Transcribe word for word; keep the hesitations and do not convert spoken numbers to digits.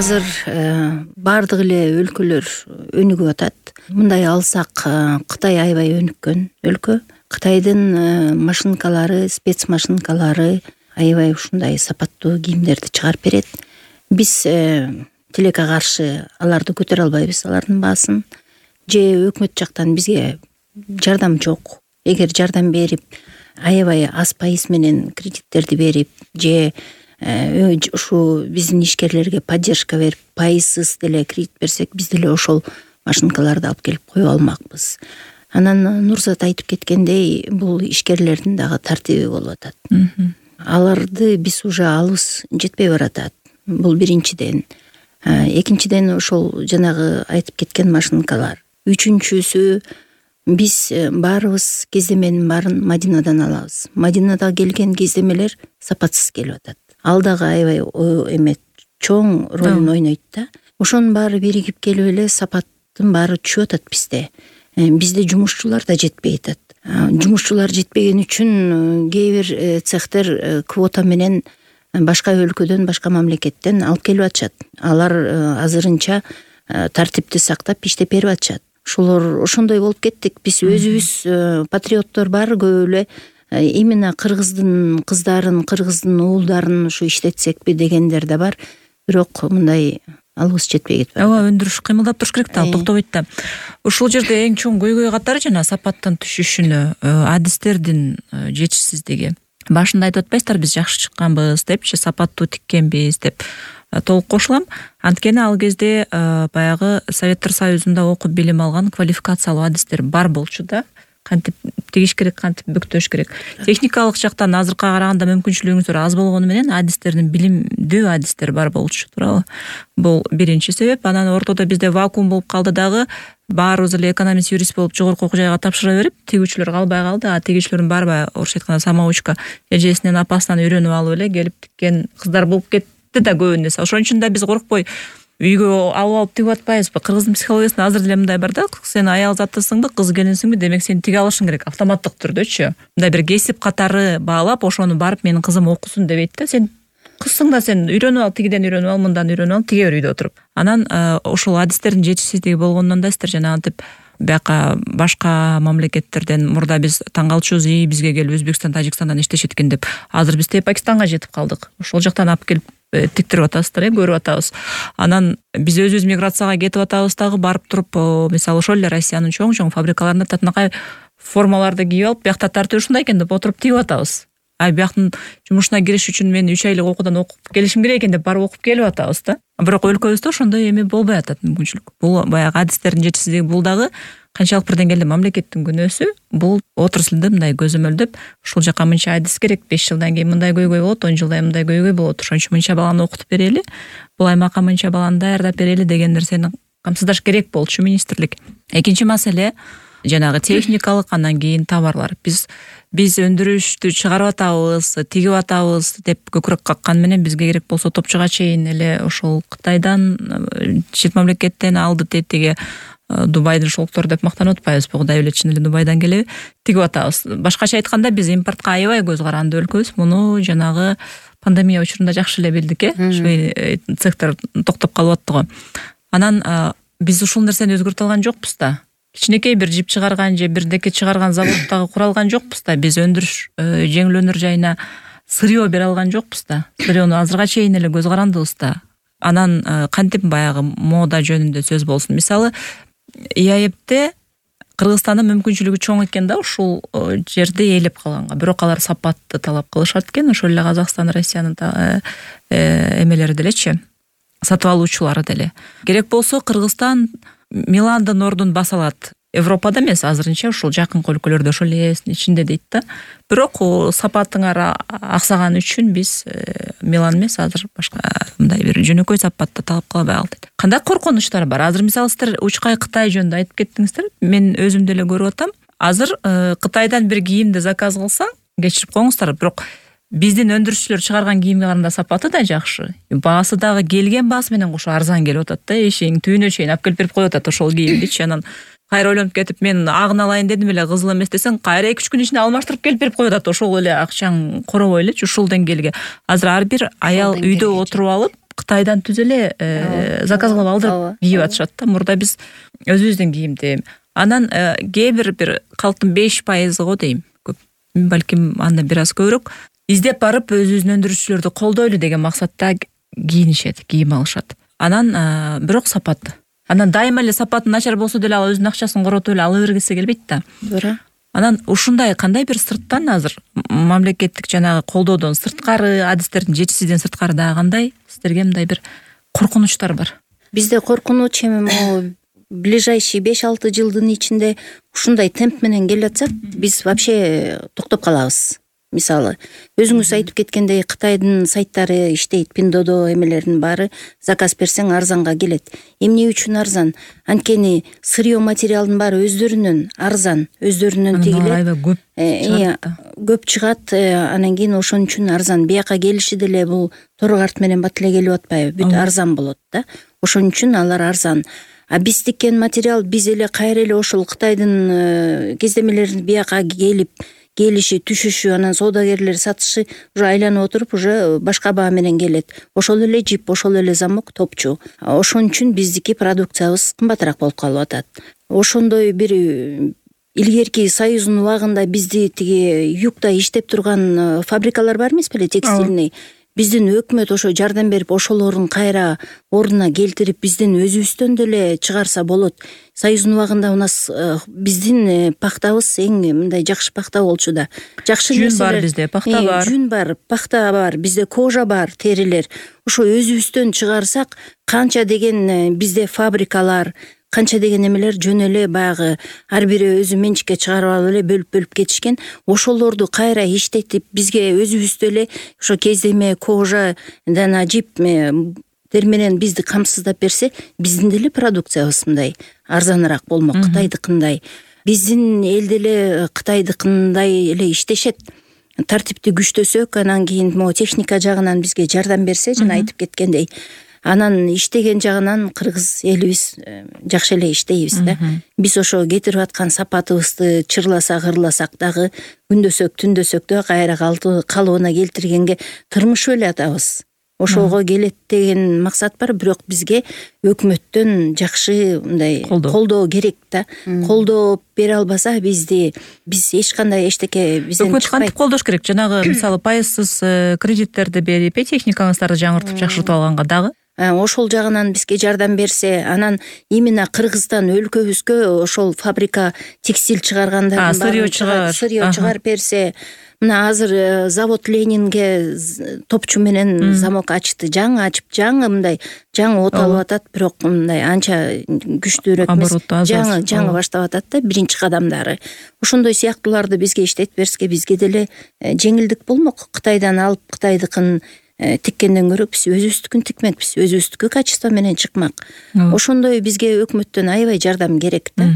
азыр баардык эле өлкөлөр өнүгүп атат. Мындай алсак, Кытай аябай өнүккөн өлкө. Кытайдын машинкалары, спец машинкалары аябай ушундай сапаттуу кийимдерди чыгарып берет. Биз тилекке каршы аларды көтөрө албайбыз, алардын баасын. Же өкмөт жактан бизге жардам жок. Эгер жардам берип, аябай аз пайыз менен кредиттерди берип, же ушу биздин ишкерлерге поддержка берип, пайызсыз деле кредит берсек, биз деле ошол машинкаларды алып келип коюп алмакпыз. Анан Нурзат айтып кеткендей, бул ишкерлердин дагы тартиби болуп атат. Аларды биз уже алыбыз жетпей баратат. Бул биринчиден. Экинчиден ошол жанагы айтып кеткен машинкалар. Үчүнчүсү, биз баарыбыз кездеменин баарын Мадинадан алабыз. Мадинада келген кездемелер сапатсыз келип атат. Ал дагы аябай эме чоң ролун ойнойт да. Ошонун баары биригип келип эле сапаттын баары түшүп атат бизде. Бизде жумушчулар да жетпей атат. Жумушчулар жетпеген үчүн кээ бир цехтер квота менен башка өлкөдөн, башка мамлекеттен алып келип атышат. Алар азырынча тартипти сактап иштеп берип атышат. Ошолор ошондой болуп кеттик. Биз өзүбүз патриоттор баары көп эле именно кыргыздын кыздарын, кыргыздын уулдарын ушу иштетсекпи дегендер да бар. Бирок мындай алыбыз жетпей кетип. Ооба, өндүрүш кыймылдап туруш керек да, токтобойт да. Ушул жерде эң чоң көйгөй катары жана сапаттын түшүшүнө адистердин жетишсиздиги. Башында айтып атпайсыздар, биз жакшы чыкканбыз депчи, сапаттуу тиккенбиз деп. Толук кошулам. Анткени ал кезде баягы Советтер Союзунда окуп билим алган квалификациялуу адистер бар болчу да. Кантип тигиш керек, кантип бүктөш керек. Техникалык жактан азыркыга караганда мүмкүнчүлүгүңүздөр аз болгону менен адистердин билимдүү адистер бар болчу, туурабы? Бул биринчи себеп. Анан ортодо бизде вакуум болуп калды дагы. Баарыбыз эле экономист, юрист болуп жогорку окуу жайга тапшыра берип, тигүүчүлөр калбай калды. А тигүүчүлөрдүн барбай, орусча айтканда, самоучка эжесинен, апасынан үйрөнүп алып эле келип тиккен кыздар болуп кетти да көбүнесе. Ошон үчүн да биз коркпой үйгө алып алып тигип атпайбызбы? Кыргыздын психологиясында азыр деле мындай бар да, сен аял затысыңбы, кыз келинсиңби, демек сен тиге алышың керек, автоматтык түрдөчү. Мындай бир кесип катары баалап, ошону барып менин кызым окусун дебейт да. Сен кызсың да, сен үйрөнүп ал, тигиден үйрөнүп ал, мындан үйрөнүп ал, тиге бер үйдө отуруп. Анан ошол адистердин жетишсиздиги болгондон да сиздер жанагынтип бияка башка мамлекеттерден мурда биз таң калчубуз, и бизге келип Өзбекстан, Тажикстандан иштешет экен деп. Азыр биз тээ Пакистанга жетип калдык. Ошол жактан алып келип тиктирип атасыздар, көрүп атабыз. Анан биз өзүбүз миграцияга кетип атабыз дагы, барып туруп, мисалы ошол эле Россиянын чоң-чоң фабрикаларында татынакай формаларды кийип алып, биякта тартип ушундай экен деп отуруп тигип атабыз. А бияктын жумушуна кириш үчүн мен үч айлык окуудан окуп келишим керек экен деп барып окуп келип атабыз да. Бирок өлкөбүздө ошондой эме болбой атат, мүмкүнчүлүк. Бул баягы адистердин жетишсиздиги, бул дагы канчалык бир деңгээлде мамлекеттин күнөөсү. Бул отраслды мындай көзөмөлдөп, ушул жака мынча адис керек, беш жылдан кийин мындай көйгөй болот, он жылдан мындай көйгөй болот, ошон үчүн мынча баланы окутуп берели, бул аймакка мынча баланы даярдап берели деген нерсени камсыздаш керек болчу министрлик. Экинчи маселе жанагы техникалык, анан кийин товарлар. Биз биз өндүрүштү чыгарып атабыз, тигип атабыз деп көкүрөк каккан менен бизге керек болсо топчуга чейин эле ошол Кытайдан, чет мамлекеттен алды тетиги Дубайдын шелктор деп мактанып атпайбызбы? Кудай билет, чын эле Дубайдан келеби? Тигип атабыз. Башкача айтканда, биз импортко аябай көз каранды өлкөбүз. Муну жанагы пандемия учурунда жакшы эле билдик, э? Ушу цехтер токтоп калып атты го. Анан биз ушул нерсени өзгөртө алган жокпуз да. Кичинекей бир жип чыгарган же бир деке чыгарган заводдагы куралган жокпуз да. Биз өндүрүш жеңилөөнөр жайына сырьё бере алган жокпуз да. Сырьёну азырга чейин эле көз карандыбыз да. Анан кантип баягы мода жөнүндө сөз болсун. Мисалы, ИАЭБте Кыргызстандын мүмкүнчүлүгү чоң экен да ушул жерди ээлеп калганга. Бирок алар сапатты талап кылышат экен, ошол эле Казакстан, Россиянын эмелери делечи, сатып алуучулары деле. Керек болсо Кыргызстан Миландын ордун баса алат. Европада эмес, азырынча ушул жакын өлкөлөрдө, ошол ээсинин ичинде дейт да. Бирок сапатыңар аксаган үчүн биз Милан эмес, азыр башка мындай бир жөнөкөй сапатты талап кыла албай калдык. Кандай коркунучтар бар? Азыр мисалы сиздер Учкай Кытай жөнүндө айтып кеттиңиздер. Мен өзүм деле көрүп атам. Азыр Кытайдан бир кийимди заказ кылсаң, кечирип коюңуздар, бирок биздин өндүрүшчүлөр чыгарган кийимге караганда сапаты да жакшы. Баасы дагы келген баасы менен кошо арзан келип атат да, эшигин түбүнө чейин алып келип берип коюп атат ошол кийимдичи. Анан кайра ойлонуп кетип, мен агын алайын дедим эле, кызыл эмес десең, кайра эки үч күн ичинде алмаштырып келип берип коюп атат, ошол эле акчаң коробой элечи, ушул деңгээлге. Азыр ар бир аял үйдө отуруп алып, Кытайдан түз эле заказ кылып алдырып кийип атышат да. Мурда биз өзүбүздүн кийимди. Анан кээ бир бир калктын беш пайызы го дейм. Көп, балким андан бир аз көбүрөөк издеп барып өзүбүздүн өндүрүүчүлөрдү колдойлу деген максатта кийинишет, кийим алышат. Анан бирок сапат. Анан дайыма эле сапаты начар болсо деле ал өзүнүн акчасын коротуп эле ала бергиси келбейт да. Туура. Анан ушундай кандай бир сырттан азыр мамлекеттик жанагы колдоодон сырткары, адистердин жетишсиздигин сырткары дагы кандай сиздерге мындай бир коркунучтар бар? Бизде коркунуч эми могу ближайший беш алты жылдын ичинде ушундай темп менен келатсак, биз вообще токтоп калабыз. Мисалы, өзүңүз айтып кеткендей, Кытайдын сайттары иштейт, Пиндодо эмелердин баары заказ берсең арзанга келет. Эмне үчүн арзан? Анткени сырье материалдын баары өздөрүнөн арзан, өздөрүнөн тигилет. Аябай көп чыгат. Көп чыгат, анан кийин ошон үчүн арзан. Бияка келиши деле бул тору карт менен бат эле келип атпайбы? Бүт арзан болот да. Ошон үчүн алар арзан. А биз тиккен материал биз эле кайра эле ошол Кытайдын кездемелерин бияка келип келиши, түшүшү, анан соодагерлер сатышы уже айланып отуруп, уже башка баа менен келет. Ошол эле жип, ошол эле замок, топчу. Ошон үчүн биздики продукциябыз кымбатыраак болуп калып атат. Ошондой бир илгерки Союздун убагында бизди тиги югда иштеп турган фабрикалар бар эмес беле, текстильный. Биздин өкмөт ошо жардам берип, ошолорун кайра ордуна келтирип, биздин өзүбүздөн деле чыгарса болот. Союздун убагында у нас биздин пахтабыз эң мындай жакшы пахта болчу да. Жакшы нерселер. Жүн бар бизде, пахта бар. Жүн бар, пахта бар, бизде кожа бар, терилер. Ошо өзүбүздөн чыгарсак, канча деген бизде фабрикалар, канча деген эмелер жөн эле баягы ар бири өзү менчикке чыгарып алып эле бөлүп-бөлүп кетишкен. Ошолорду кайра иштетип, бизге өзүбүздө эле ошо кездеме, кожа, жана жип дер менен бизди камсыздап берсе, биздин деле продукциябыз мындай арзаныраак болмок, Кытайдыкындай. Биздин элде эле Кытайдыкындай эле иштешет. Тартипти күчтөсөк, анан кийин могу техника жагынан бизге жардам берсе, жана айтып кеткендей, анан иштеген жагынан кыргыз элибиз жакшы эле иштейбиз да. Биз ошо кетирип аткан сапатыбызды чырласак, ырласак дагы күндөсөк, түндөсөк да кайра калыбына келтиргенге тырмышып эле атабыз. Ошого келет деген максат бар, бирок бизге өкмөттөн жакшы мындай колдоо керек да. Колдоо бере албаса бизди биз эч кандай эчтеке бизден чыкпайт. Өкмөт кантип колдош керек? Жанагы мисалы пайызсыз кредиттерди берип, техникаңыздарды жаңыртып жакшыртып алганга дагы ошол жагынан бизге жардам берсе, анан именно Кыргызстан өлкөбүзгө ошол фабрика текстиль чыгаргандардын баарын сырье чыгарып берсе, мына азыр завод Ленинге топчу менен замок ачты, жаңы ачып, жаңы мындай жаңы от алып атат, бирок мындай анча күчтүүрөөк эмес, жаңы жаңы баштап атат да, биринчи кадамдары. Ошондой сыяктууларды бизге иштетип берсе, бизге деле жеңилдик болмок. Кытайдан алып, Кытайдыкын тиккенден көрө биз өзүбүздүкүн тикмекпиз, өзүбүздүкү качество менен чыкмак. Ошондой бизге өкмөттөн аябай жардам керек да.